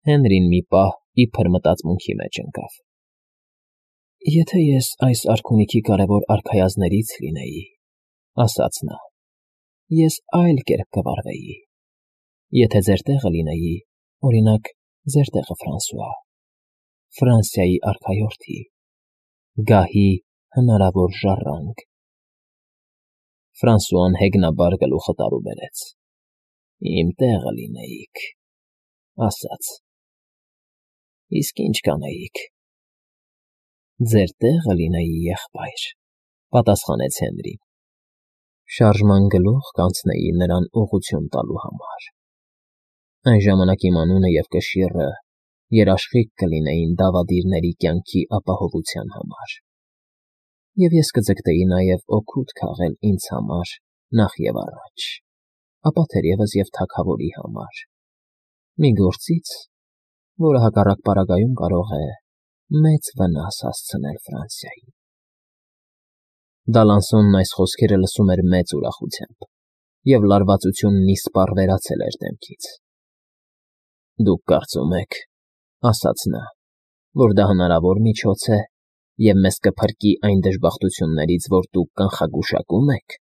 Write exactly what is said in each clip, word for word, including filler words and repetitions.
Հենրին մի պահ իբր մտածմունքի մեջ ընկավ։ «Եթե ես այս արքունիքի կարևոր արքայազններից լինեի,֊ ասաց նա,֊ ես այլ կերպ կվարվեի։ Եթե ձեր տեղը լինեի, օրինակ, ձեր տեղը, Ֆրանսուଆ, Ֆրանսիայի արքայորդի, գահի հնարավոր ժառանգ…» Ֆրանսուան հեգնաբար գլուխը տարուբերեց։ «Իմ տեղը լինեիք,֊ ասաց,֊ իսկ ի՞նչ կանեիք»։ «Ձեր տեղը լինեի, եղբայր,֊ պատասխանեց Հենրին,֊ շարժման գլուխ կանցնեի նրան ուղղություն տալու համար։ Այն ժամանակ իմ անունը և կշիռը երաշխիք կլինեին դավադիրների կյանքի ապահովության համար, և ես կձգտեի նաև օգուտ քաղել ինձ համար նախ և առաջ, ապա թերևս և թագավորի համար, մի գործից, որը հակառակ պարագայում կարող է մեծ վնաս հասցնել Ֆրանսիային»։ Դալանսոնն այս խոսքերը լսում էր մեծ ուրախությամբ, և լարվածությունն իսպառ վերացել էր դեմքից։ «Դուք կարծում եք,֊ ասաց նա,֊ որ դա հնարավոր միջոց է և մեզ կփրկի այն դժբախտություններից, որ դուք կանխագուշակում եք»։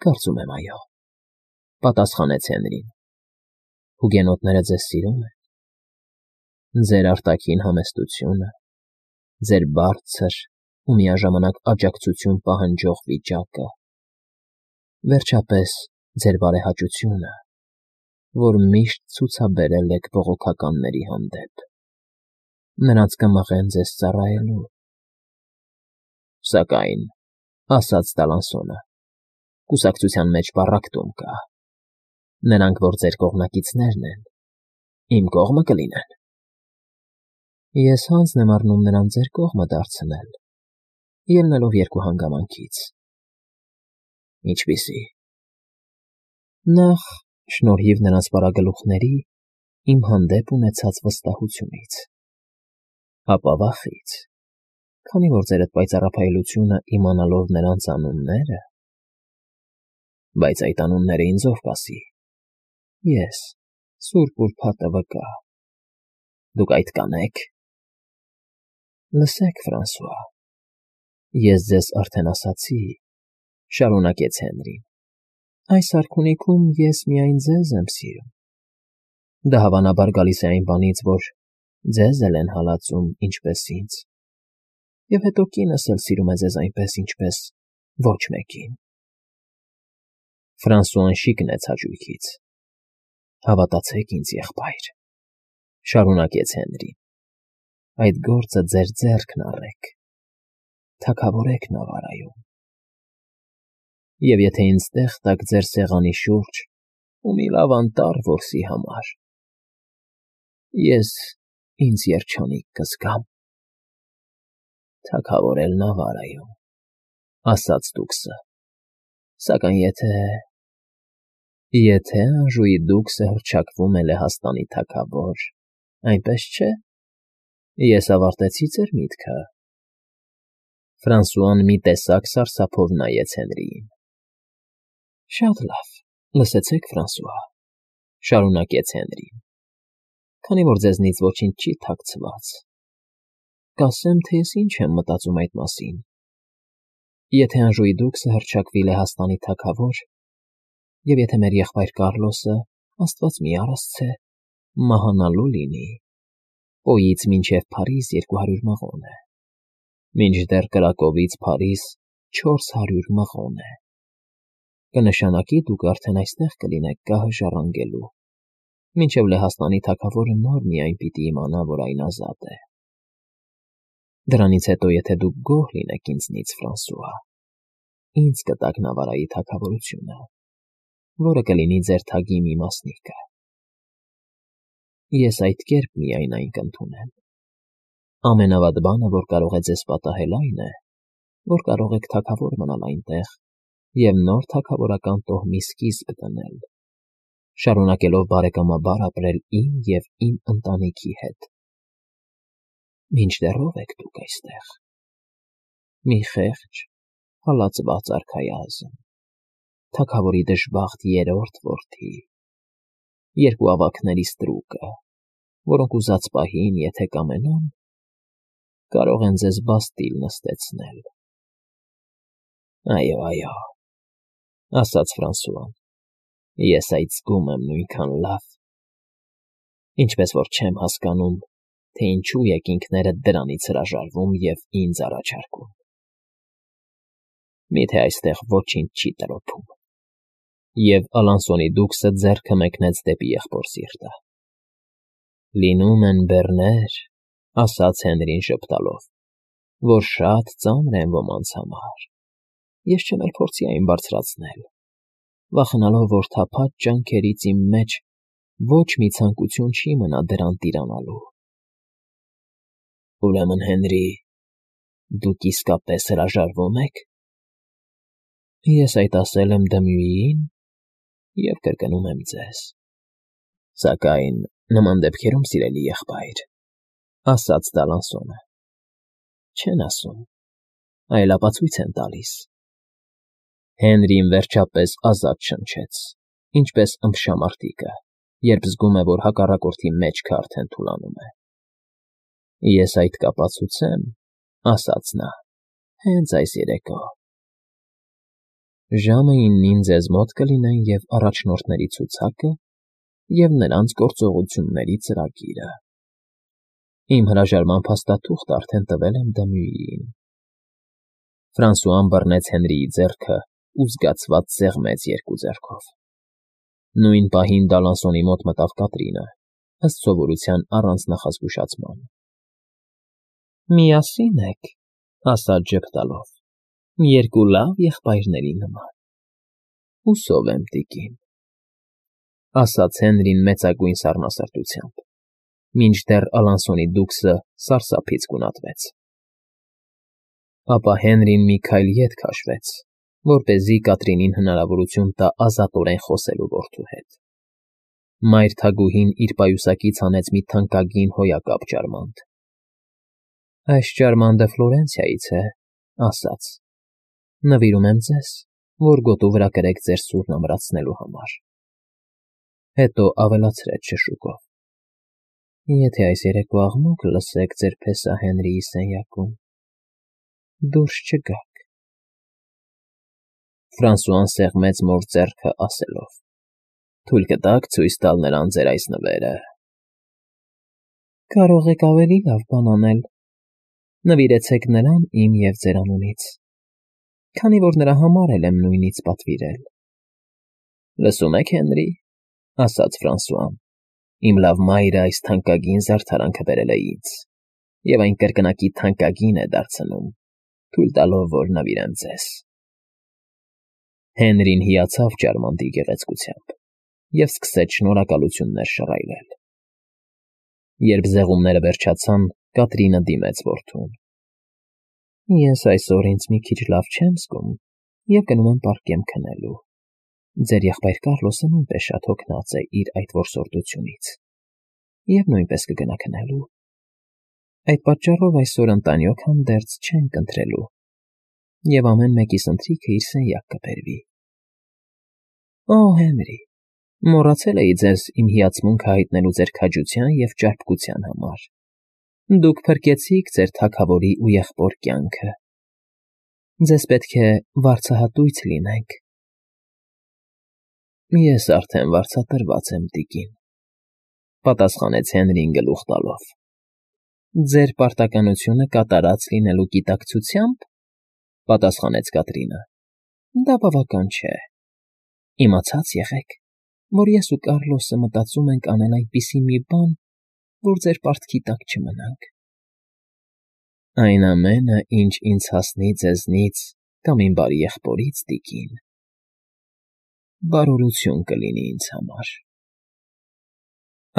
«Կարծում եմ, այո,֊ պատասխանեց Հենրին։ Հուգենոտները ձեզ սիրում են։ Ձեր արտաքին համեստությունը, ձեր բարձր ու միաժամանակ աջակցություն պահանջող վիճակը, վերջապես ձեր բարեհաճությունը, որ միշտ ցուցաբերել եք բողոքականների հանդեպ, նրանց կմղեն ձեզ ծառայելու»։ «Սակայն,֊ ասաց Դալանսոնը,֊ կուսակցության մեջ պառակտում կա. նրանք, որ ձեր կողմնակիցներն են, իմ կողմը կլինեն»։ «Ես հանձն եմ առնում նրան ձեր կողմը դարձնել, ելնելով երկու հանգամանքից»։ «Ինչպիսի՞»։ «Նախ, շնորհիվ նրանց պարագլուխների իմ հանդեպ ունեցած վստահությունից, ապա վախից, քանի որ ձեր էդ պայծառափայլությունը իմանալով նրանց անունները…» «Բայց այդ անունները ինձ ո՞վ կասի»։ «Ես, սուրբ ուրբաթը վկա»։ «Դուք այդ կանե՞ք»։ «Լսեք, Ֆրանսուଆ, ես ձեզ արդեն ասացի,֊ շարունակեց Հենրին,֊ այս արքունիքում ես միայն ձեզ եմ սիրում։ Դա հավանաբար գալիս է այն բանից, որ ձեզ էլ են հալածում, ինչպես ինձ, և հետո կինս էլ սիրում է ձեզ այնպես, ինչպես ոչ մեկին»։ Ֆրանսուան շիկնեց հաճույքից։ «Հավատացեք ինձ, եղբայր,֊ շարունակեց Հենրին,֊ այդ գործը ձեր ձեռքն առեք, թագավորեք Նավարայում, և եթե ինձ տեղ տաք ձեր սեղանի շուրջ ու մի լավ անտառ որսի համար, ես ինձ երջանիկ կզգամ»։ «Թագավորել Նավարայում,֊ ասաց դուքսը,֊ սակայն եթե…» «Եթե Անժուի դուքսը հռչակվում է Լեհաստանի թագավոր, այնպես չէ՞։ Ես ավարտեցի ձեր միտքը»։ Ֆրանսուան մի տեսակ սարսափով նայեց Հենրիին։ «Շատ լավ, լսեցեք, Ֆրանսուଆ,֊ շարունակեց Հենրին,֊ քանի որ ձեզնից ոչինչ չի թաքցված, կասեմ, թե ես ինչ եմ մտածում այդ մասին։ Եթե Անժուի դուքսը հռչակվի Լեհաստանի թագավոր, և եթե մեր եղբայր Կառլոսը, աստված մի արասցե, մահանալու լինի, Պոյից մինչև Փարիզ երկու հարյուր մղոն է, մինչդեռ Կրակովից Փարիզ չորս հարյուր մղոն է, կնշանակի դուք արդեն այստեղ կլինեք գահը ժառանգելու, մինչև Լեհաստանի թագավորը նոր միայն պիտի իմանա, որ այն ազատ է։ Դրանից հետո, եթե դուք գոհ լինեք ինձնից, Ֆրանսուଆ, ինձ կտաք Նավարայի թագավորությունը, որը կլինի ձեր թագի մի մասնիկը։ Ես այդ կերպ միայն այն կընդունեմ։ Ամենավատ բանը, որ կարող է ձեզ պատահել, այն է, որ կարող եք թագավոր մնալ այնտեղ և նոր թագավորական տոհմի սկիզբ դնել, շարունակելով բարեկամաբար ապրել իմ և իմ ընտանիքի հետ։ Մինչդեռ ո՞վ եք դուք այստեղ։ Մի խեղճ, հալածված արքայազն, թագավորի դժբախտ երրորդ որդի, երկու ավագների ստրուկը, որոնք ուզած պահին, եթե կամենան, կարող են ձեզ բաստիլ նստեցնել։ ֊ Այո, այո, ֊ ասաց Ֆրանսուան, ֊ ես այդ զգում եմ նույնքան լավ, ինչպես որ չեմ հասկանում, թե ինչու եք ինքներդ դրանից հրաժարվում և ինձ առաջարկում։ Միթե այստեղ ոչինչ չի տրոփում։ Եվ Ալանսոնի դուքսը ձեռքը մեկնեց դեպի եղբոր սիրտը։ ֊ Լինում են բեռներ, ֊ ասաց Հենրին ժպտալով, ֊ որ շատ ծանր են ոմանց համար, ես չեմ էլ փորձի այն բարձրացնել, վախենալով, որ թափած ջանքերից իմ մեջ ոչ մի ցանկություն չի մնա դրան տիրանալու։ ֊ Ուրեմն, Հենրի, դուք իսկապես հրաժարվո՞ւմ եք։ ֊ Ես այդ ասել եմ Դմյուիին և կրկնում եմ ձեզ։ ֊ Սակայն նման դեպքերում, սիրելի եղբայր, ֊ ասաց Դալանսոնը, չեն ասում, այլ ապացույց են տալիս։ Հենրին վերջապես ազատ շնչեց, ինչպես ըմբշամարտիկը, երբ զգում է, որ հակառակորդի մեջքը արդեն թուլանում է։ ֊ Ես այդ կապացուցեմ, ֊ ասաց նա, ֊ հենց այս երեկո։ Ժամը իննին ձեզ մոտ կլինեն և առաջնորդների ցուցակը, և նրանց գործողությունների ծրագիրը։ Իմ հրաժարման փաստաթուղթն արդեն տվել եմ Դմյուիին։ Ֆրանսուան բռնեց Հենրիի ձեռքը ու զգացված սեղմեց երկու ձեռքով։ Նույն պահին Դալանսոնի մոտ մտավ Կատրինը, ըստ սովորության առանց նախազգուշացման։ ֊ Միասին եք, ֊ ասաց ժպտալով, ֊ երկու լավ եղբայրների նման։ ֊ Հուսով եմ, տիկին, ֊ ասաց Հենրին մեծագույն սառնասրտությամբ, մինչդեռ Ալանսոնի դուքսը սարսափից գունատվեց։ Ապա Հենրին մի քայլ ետ քաշվեց, որպեսզի Կատրինին հնարավորություն տա ազատորեն խոսելու որդու հետ։ Մայր թագուհին իր պայուսակից հանեց մի թանկագին հոյակապ ջարմանտ։ ֊ Այս ջարմանդը Ֆլորենցիայից է, ֊ ասաց, ֊ նվիրում եմ ձեզ, որ գոտու վրա կրեք ձեր սուրն ամրացնելու համար։ Հետո ավելացրեց շշուկով. Եթե այս երեկո աղմուկ լսեք ձեր փեսա Հենրիի սենյակում, դուրս չգաք։ Ֆրանսուան սեղմեց մոր ձեռքը, ասելով. Թույլ կտաք ցույց տալ նրան ձեր այս նվերը։ ֊ Կարող եք ավելի լավ բան անել. նվիրեցեք նրան իմ և ձեր անունից, քանի որ նրա համար էլ եմ նույնից պատվիրել։ ֊ Լսում եք, Հենրի, ֊ ասաց Ֆրանսուան, իմ լավ մայրը այս թանկագին զարդարանքը բերել է ինձ, և այն կրկնակի թանկագին է դարձնում, թույլ տալով, որ նվիրեմ ձեզ։ Հենրին հիացավ ջարմանտի գեղեցկությամբ և սկսեց շնորհակալություններ շռայլել։ Երբ զեղումները վերջացան, Կատրինը դիմեց որդուն. ֊ Ես այսօր ինձ մի քիչ լավ չեմ զգում և գնում եմ պարկեմ քնելու։ Ձեր եղբայր Կառլոսը նույնպես շատ հոգնած է իր այդ որսորդությունից և նույնպես կգնա քնելու։ Այդ պատճառով այսօր ընտանյոք հանդերձ չենք ընթրելու, և ամեն մեկիս ընթրիքը իր սենյակ կբերվի։ ֊ Օ, Հենրի, մոռացել էի ձեզ իմ հիացմունքը հայտնելու ձեր քաջության և ճարպկության համար։ Դուք փրկեցիք ձեր թագավորի ու եղբոր կյանքը։ Ձեզ պետք է վարձահատույց լինենք։ ֊ Ես արդեն վարձատրված եմ, տիկին, ֊ պատասխանեց Հենրին գլուխ տալով։ ֊ Ձեր պարտականությունը կատարած լինելու գիտակցությա՞մբ, ֊ պատասխանեց Կատրինը։ ֊ Դա բավական չէ։ Իմացած եղեք, որ ես ու Կառլոսը մտածում ենք անել այնպիսի մի բան, որ ձեր պարտքի տակ չմնանք։ ֊ Այն ամենը, ինչ ինձ հասնի ձեզնից կամ իմ բարի եղբորից, տիկին, բարօրություն կլինի ինձ համար։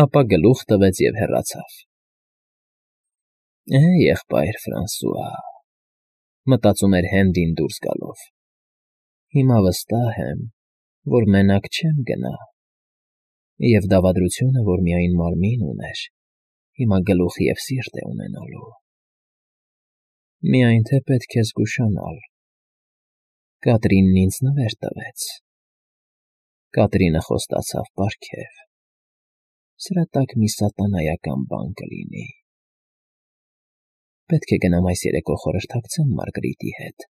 Ապա գլուխ տվեց և հեռացավ։ Է, եղբայր Ֆրանսուա, ֊ մտածում էր Հենրին դուրս գալով, ֊ հիմա վստահ եմ, որ մենակ չեմ գնա, և դավադրությունը, որ միայն մարմին ուներ, հիմա գլուխ և սիրտ է ունենալու։ Միայն թե պետք է զգուշանալ. Կատրինն ինձ նվեր տվեց։ Կատրինը խոստացավ պարգև։ Սրա տակ մի սատանայական բան կլինի։ Պետք է գնամ այս երեկո խորհրդակցեմ Մարգրիտի հետ։